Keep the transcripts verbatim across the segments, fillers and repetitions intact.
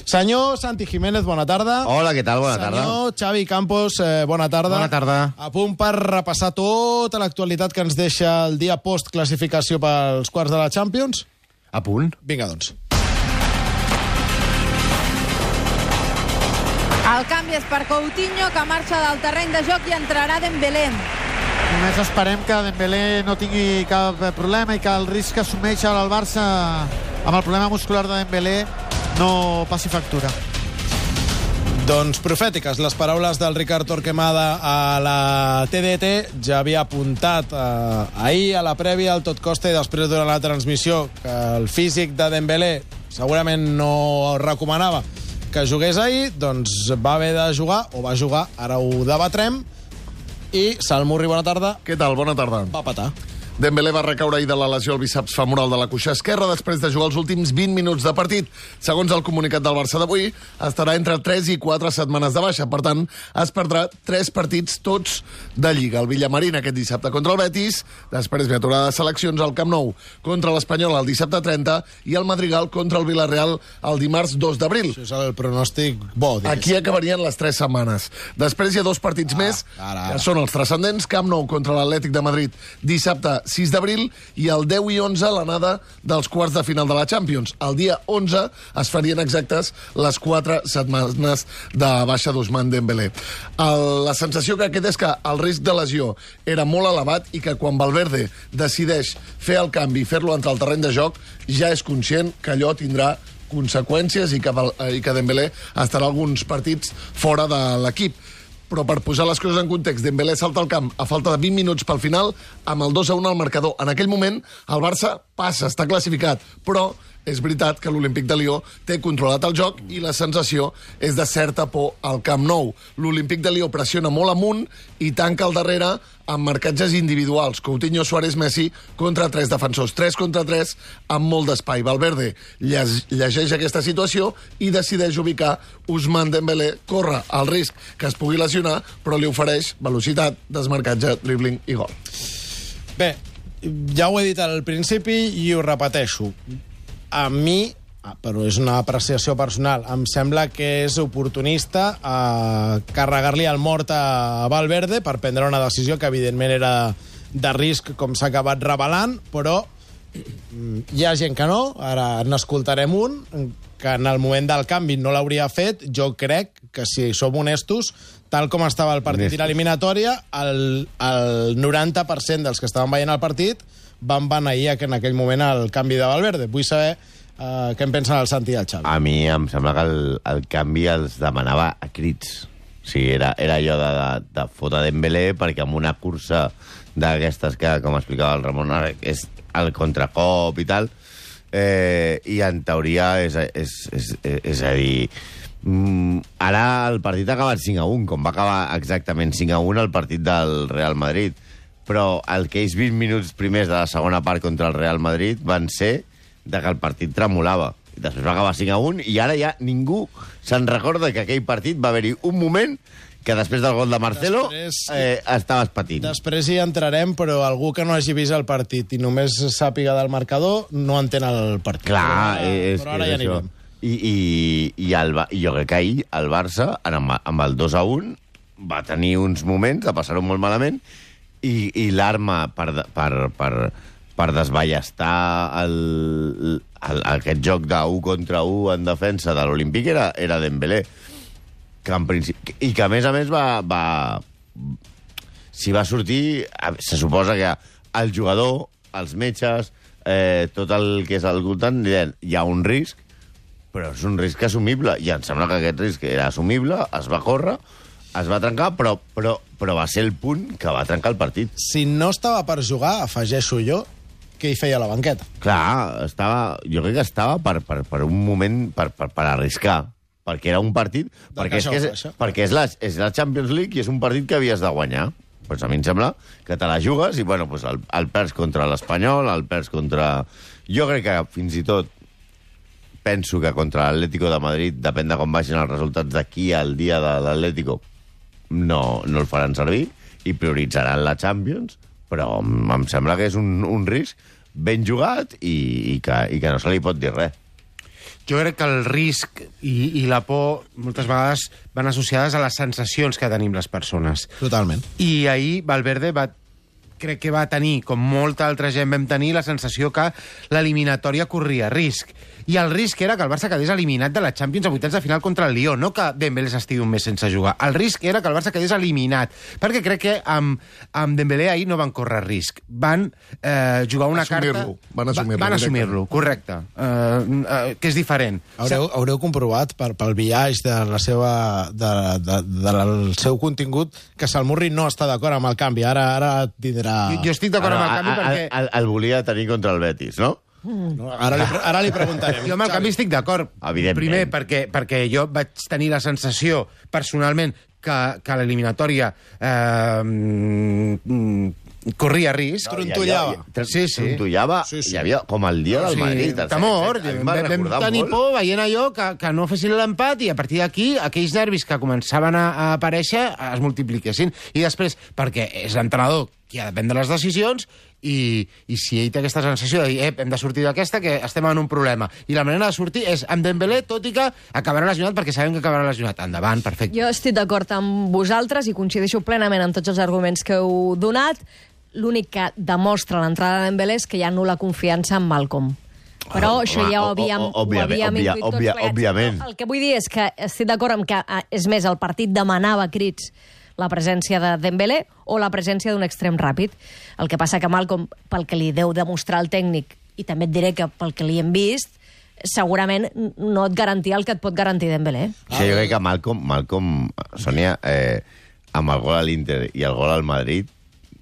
Senyor Santi Jiménez, bona tarda. Hola, què tal? Bona tarda. Senyor Xavi Campos, eh, bona tarda. Bona tarda. A punt per repassar tota l'actualitat que ens deixa el dia post-classificació pels quarts de la Champions? A punt. Vinga, doncs. El canvi és per Coutinho, que marxa del terreny de joc i entrarà Dembélé. Només esperem que Dembélé no tingui cap problema i que el risc que assumeix el Barça amb el problema muscular de Dembélé no passi factura. Doncs profètiques, les paraules del Ricard Torquemada a la T D T. Ja havia apuntat eh, ahir a la prèvia al tot costa i després durant la transmissió que el físic de Dembélé segurament no recomanava que jugués ahir, doncs va haver de jugar, o va jugar, ara ho debatrem, i Salmurri, bona tarda. Què tal? Bona tarda. Va patar. Dembélé va recaure ahir de la lesió al bíceps femoral de la cuixa esquerra després de jugar els últims vint minuts de partit. Segons el comunicat del Barça d'avui, estarà entre tres i quatre setmanes de baixa. Per tant, es perdrà tres partits tots de Lliga. El Villamarín aquest dissabte contra el Betis, després ve aturada de seleccions al Camp Nou contra l'Espanyol el dissabte trenta i el Madrigal contra el Villarreal el dimarts dos d'abril. Això és el pronòstic bo, digues. Aquí acabarien les tres setmanes. Després hi ha dos partits ah, més, ara, ara. que són els transcendents. Camp Nou contra l'Atlètic de Madrid dissabte sis d'abril i el deu i onze l'anada dels quarts de final de la Champions. El dia onze es farien exactes les quatre setmanes de baixa d'Ousmane Dembélé. El, la sensació que queda és que el risc de lesió era molt elevat i que quan Valverde decideix fer el canvi i fer-lo entre el terreny de joc ja és conscient que allò tindrà conseqüències i que, i que Dembélé estarà alguns partits fora de l'equip. Però per posar les coses en context, Dembélé salta al camp a falta de vint minuts pel final amb el dos a un al marcador. En aquell moment, el Barça passa, està classificat, però és veritat que l'Olímpic de Lió té controlat el joc i la sensació és de certa por al Camp Nou. L'Olímpic de Lió pressiona molt amunt i tanca al darrere amb marcatges individuals. Coutinho, Suárez, Messi contra tres defensors. tres contra tres amb molt d'espai. Valverde llegeix aquesta situació i decideix ubicar Ousmane Dembélé. Corre el risc que es pugui lesionar, però li ofereix velocitat, desmarcatge, dribbling i gol. Bé, ja ho he dit al principi i ho repeteixo. A mi, però és una apreciació personal, em sembla que és oportunista eh, carregar-li el mort a Valverde per prendre una decisió que evidentment era de risc, com s'ha acabat revelant, però hi ha gent que no, ara n'escoltarem un, que en el moment del canvi no l'hauria fet. Jo crec que, si som honestos, tal com estava el partit i l'eliminatòria, el, el noranta per cent dels que estaven veient el partit van beneir en aquell moment el canvi de Valverde. Vull saber uh, què en pensen el Santi i el Xavi. A mi em sembla que el, el canvi els demanava a crits. O sigui, era, era allò de, de, de fotre Dembélé perquè amb una cursa d'aquestes que, com explicava el Ramon, és el contracop i tal, eh, i en teoria és, és, és, és, és a dir... Mm, ara el partit ha acabat cinc a un, com va acabar exactament cinc a un el partit del Real Madrid. Però aquells vint minuts primers de la segona part contra el Real Madrid van ser de que el partit tremolava. Després va acabar cinc a un i ara ja ningú se'n recorda que aquell partit va haver-hi un moment que després del gol de Marcelo després, eh, estaves patint. Després hi entrarem, però algú que no hagi vist el partit i només sàpiga del marcador no entén el partit. Clar, però, és, però ara és ja anirem. I, i, i, el, i jo crec que ahir el Barça, amb, amb el dos a un, va tenir uns moments de passar-ho molt malament. I, i l'arma per, per, per, per desballestar el, el, aquest joc d'un contra un en defensa de l'Olímpic era, era Dembélé, que en principi, i que a més a més va, va si va sortir, se suposa que el jugador, els metges, eh, tot el que és al voltant, hi ha un risc, però és un risc assumible, i em sembla que aquest risc era assumible, es va córrer, es va trencar, però, però, però va ser el punt que va trencar el partit. Si no estava per jugar, afegeixo jo, què hi feia a la banqueta? Clar, estava, jo crec que estava per, per, per un moment, per, per, per arriscar, perquè era un partit... Perquè, és, que és, perquè és, la, és la Champions League i és un partit que havies de guanyar. Pues a mi em sembla que te la jugues i, bueno, pues el, el perds contra l'Espanyol, el perds contra... Jo crec que fins i tot penso que contra l'Atlético de Madrid, depèn de com vagin els resultats d'aquí al dia de l'Atlético, no, no el faran servir i prioritzaran la Champions, però em sembla que és un, un risc ben jugat i, i, que, i que no se li pot dir res. Jo crec que el risc i, i la por moltes vegades van associades a les sensacions que tenim les persones. Totalment. I ahir Valverde va, crec que va tenir, com molta altra gent vam tenir, la sensació que l'eliminatòria corria risc. I el risc era que el Barça quedés eliminat de la Champions a vuitens de final contra el Lyon, no que Dembélé s'estigui un mes sense jugar. El risc era que el Barça quedés eliminat, perquè crec que amb, amb Dembélé ahir no van córrer risc. Van eh, jugar una carta... Van assumir-lo. Van assumir-lo, correcte. Uh, uh, que és diferent. Haureu, haureu comprovat per, pel biaix de la seva, de, de, de, del seu contingut que Salmurri no està d'acord amb el canvi. Ara, ara tindrà... Jo, jo estic d'acord amb el canvi a, a, perquè... El, el volia tenir contra el Betis, no? No, ara, li, ara li preguntarem. Jo amb el canvi estic d'acord. Evidentment. Primer, perquè, perquè jo vaig tenir la sensació, personalment, que, que l'eliminatòria eh, mm, corria risc. Trontollava. Sí, sí. Trontollava. Sí, sí. Hi havia com el dia del Sí, Madrid. el temor. set set. A mi m'ha Vam, vam recordat tenir molt. por veient allò que, que no fessin l'empat i a partir d'aquí aquells nervis que començaven a, a aparèixer es multipliquessin. I després, perquè és l'entrenador qui ha de prendre les decisions i, i si ell té aquesta sensació de dir eh, hem de sortir d'aquesta, que estem en un problema. I la manera de sortir és amb Dembélé, tot i que acabarà lesionat, perquè sabem que acabarà lesionat. Endavant, perfecte. Jo estic d'acord amb vosaltres i coincideixo plenament amb tots els arguments que heu donat. L'únic que demostra l'entrada de Dembélé és que hi ha nul·la confiança en Malcom. Però Home, això ja ho o- o- havíem, o- òbviament, ho havíem òbvia- intuït tots òbvia- plegats. òbviament. El que vull dir és que estic d'acord amb que, eh, és més, el partit demanava a crits la presència de Dembélé o la presència d'un extrem ràpid. El que passa que Malcom, pel que li deu demostrar el tècnic, i també et diré que pel que li hem vist, segurament no et garantia el que et pot garantir Dembélé. Sí, jo crec que Malcom, Malcom Sònia, eh, amb el gol a l'Inter i el gol al Madrid,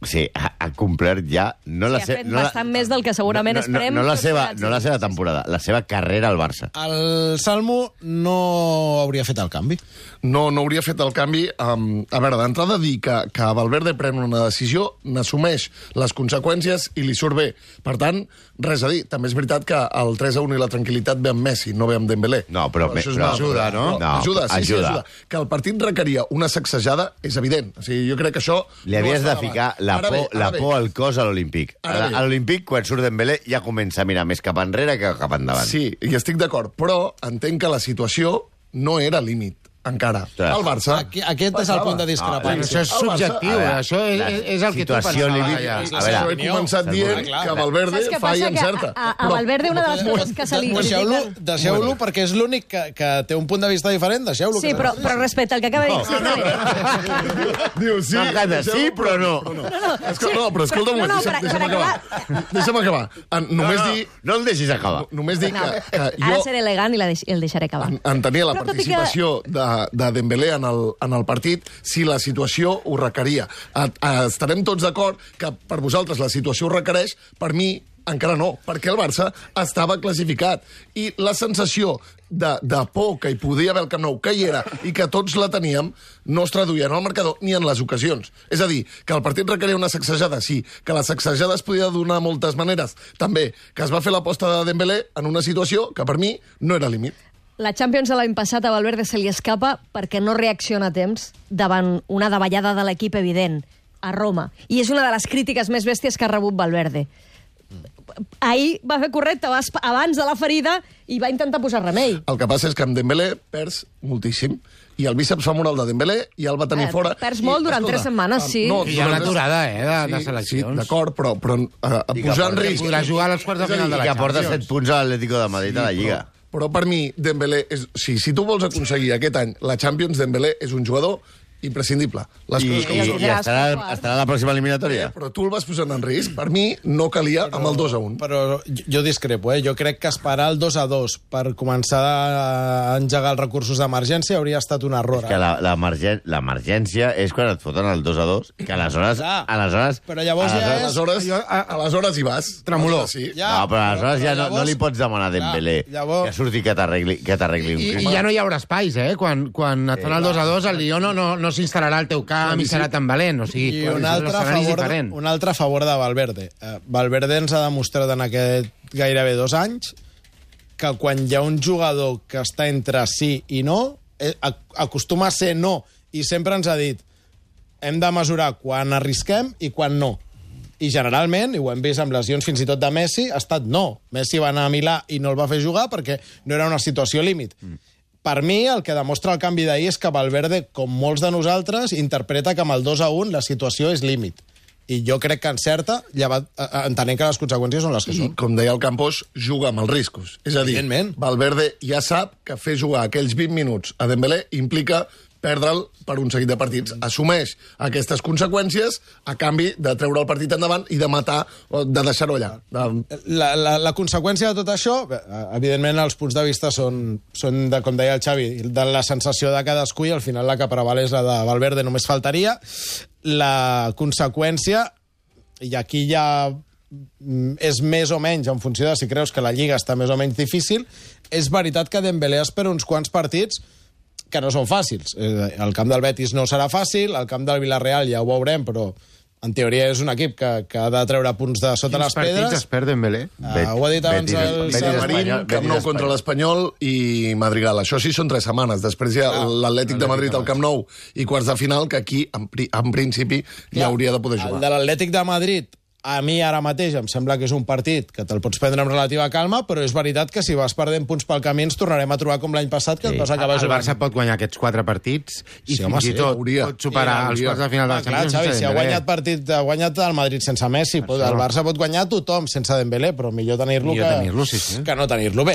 sí, ha, ha complert ja... No Sí, la ha se, fet no bastant més del que segurament no, no, esperem No, no, la tots seva, plegats. no la seva temporada, la seva carrera al Barça. El Salmo no hauria fet el canvi. No, no hauria fet el canvi. Um, a veure, d'entrada dir que, que Valverde pren una decisió, n'assumeix les conseqüències i li surt bé. Per tant, res a dir. També és veritat que el tres a un i la tranquil·litat ve amb Messi, no ve amb Dembélé. No, però- això és però una altra ajuda, cosa. no? Però No, ajuda, sí, ajuda. sí, ajuda. Que el partit requeria una sacsejada és evident. O sigui, jo crec que això... Li havies no de està ficar davant. la Ara por, bé, ara la bé. por al cos a l'Olímpic. Ara A, bé. a l'Olímpic, quan surt Dembélé, ja comença a mirar més cap enrere que cap endavant. Sí, i estic d'acord, però entenc que la situació no era límit, encara. Clar. El Barça... Aquí, aquest és el punt de Però discrepància. això és El Barça- subjectiu, a veure, això és, la és el que tu situació pensaves límit- allà. a A veure, veure, he començat Salmó, dient clar, que clar. Valverde Saps què fa i passa? Que encerta. a, a, a Valverde una de les coses que se li Deixeu-lo critiquen... deixeu perquè és l'únic que, que té un punt de vista diferent. Deixeu-lo. Sí, que però, però respecte al que acaba de dir... Sí, no, Diu, sí, M'encanta, deixeu-lo, sí, però no. no. Escolta, no, però escolta un No, moment, no, deixa'm, per- deixa'm per acabar. Deixa'm acabar. En, només no, no, dir... no el deixis acabar. Només dir no. que, que Ara jo seré elegant i la deix, el deixaré acabar. en- entenia la Però tot i que- participació de, de Dembélé en el, en el partit si la situació ho requeria. A, a, estarem tots d'acord que per vosaltres la situació ho requereix, per mi encara no, perquè el Barça estava classificat. I la sensació de, de por que hi podia haver al Camp Nou, que hi era, i que tots la teníem, no es traduïa en el marcador ni en les ocasions. És a dir, que el partit requeria una sacsejada, sí, que la sacsejada es podia donar de moltes maneres, també, que es va fer l'aposta de Dembélé en una situació que per mi no era límit. La Champions de l'any passat a Valverde se li escapa perquè no reacciona a temps davant una davallada de l'equip evident a Roma. I és una de les crítiques més bèsties que ha rebut Valverde. Ahir va fer correcte, va esp- abans de la ferida, i va intentar posar remei. El que passa és que amb Dembélé perds moltíssim. I el bíceps femoral de Dembélé ja el va tenir Eh, fora. perds I, molt durant escolta, tres setmanes, sí. no, I hi ha durant una tres- aturada, eh, de- de Sí, seleccions. Sí, d'acord, però, però uh, I que posar en porta- risc... Podrà jugar als quarts de És a dir, final de I la que porta Champions. set punts a l'Atlético de Madrid a la Lliga. Però, però per mi, Dembélé... És, sí, si tu vols aconseguir aquest any la Champions, Dembélé és un jugador imprescindible. Les I, coses com i, són. i estarà, estarà a la pròxima eliminatòria? Però tu el vas posant en risc. Per mi, no calia amb el dos a un. Però jo jo discrepo, eh? Jo crec que esperar el dos a dos per començar a engegar els recursos d'emergència hauria estat un error. Que Eh? la- l'emergèn- l'emergència és quan et foten el dos a dos, que aleshores... Ah, aleshores però llavors ja és- Aleshores, Jo, a- aleshores hi vas. Tremolor. Aleshores Sí. Ja, no, però aleshores però- ja però no, no llavors- li pots demanar a Dembélé Clar, llavors- que surti que t'arregli que t'arregli un I, crim. I ja no hi haurà espais, eh? Quan, quan et fan el dos a dos, el Lió no, no, no s'instal·larà al teu camp i serà tan valent. O sigui, I un altre, a l'escenari és favor de, diferent. un altre a favor de Valverde. Uh, Valverde ens ha demostrat en aquest gairebé dos anys que quan hi ha un jugador que està entre sí i no, eh, ac- acostuma a ser no, i sempre ens ha dit hem de mesurar quan arrisquem i quan no. I generalment, i ho hem vist amb lesions fins i tot de Messi, ha estat no. Messi va anar a Milà i no el va fer jugar perquè no era una situació límit. Mm. Per mi, el que demostra el canvi d'ahir és que Valverde, com molts de nosaltres, interpreta que amb el dos a un la situació és límit. I jo crec que encerta, llevat, entenent que les conseqüències són les que són. I, com deia el Campos, juga amb els riscos. És a dir, Valverde ja sap que fer jugar aquells vint minuts a Dembélé implica perdre'l per un seguit de partits. Assumeix aquestes conseqüències a canvi de treure el partit endavant i de matar, o de deixar-ho allà. De... La, la, la conseqüència de tot això, evidentment els punts de vista són, són de, com deia el Xavi, de la sensació de cadascú i al final la que preval és la de Valverde, només faltaria. La conseqüència, i aquí ja és més o menys en funció de si creus que la Lliga està més o menys difícil, és veritat que Dembélé espera uns quants partits que no són fàcils. El camp del Betis no serà fàcil, el camp del Villarreal ja ho veurem, però en teoria és un equip que, que ha de treure punts de sota les pedres. Quins partits es perd Dembélé? Uh, ho ha dit abans el... Marín, Camp Nou contra l'Espanyol i Madrigal. Això sí són tres setmanes. Després hi ha ah, l'Atlètic de Madrid al Camp Nou i quarts de final, que aquí, en, en principi, ja hauria de poder jugar. El de l'Atlètic de Madrid, a mi ara mateix em sembla que és un partit que te'l pots prendre amb relativa calma, però és veritat que si vas perdent punts pel camí ens tornarem a trobar com l'any passat, que sí. et vas acabar jugant. El jugant. Barça pot guanyar aquests quatre partits i sí, fins home, i sí, tot hauria. pot superar sí, els quarts de final de la Champions. Xavi, si ha guanyat, partit, ha guanyat el Madrid sense Messi, pot, el Barça pot guanyar tothom sense Dembélé, però millor tenir-lo que, tenir sí, sí. que no tenir-lo bé.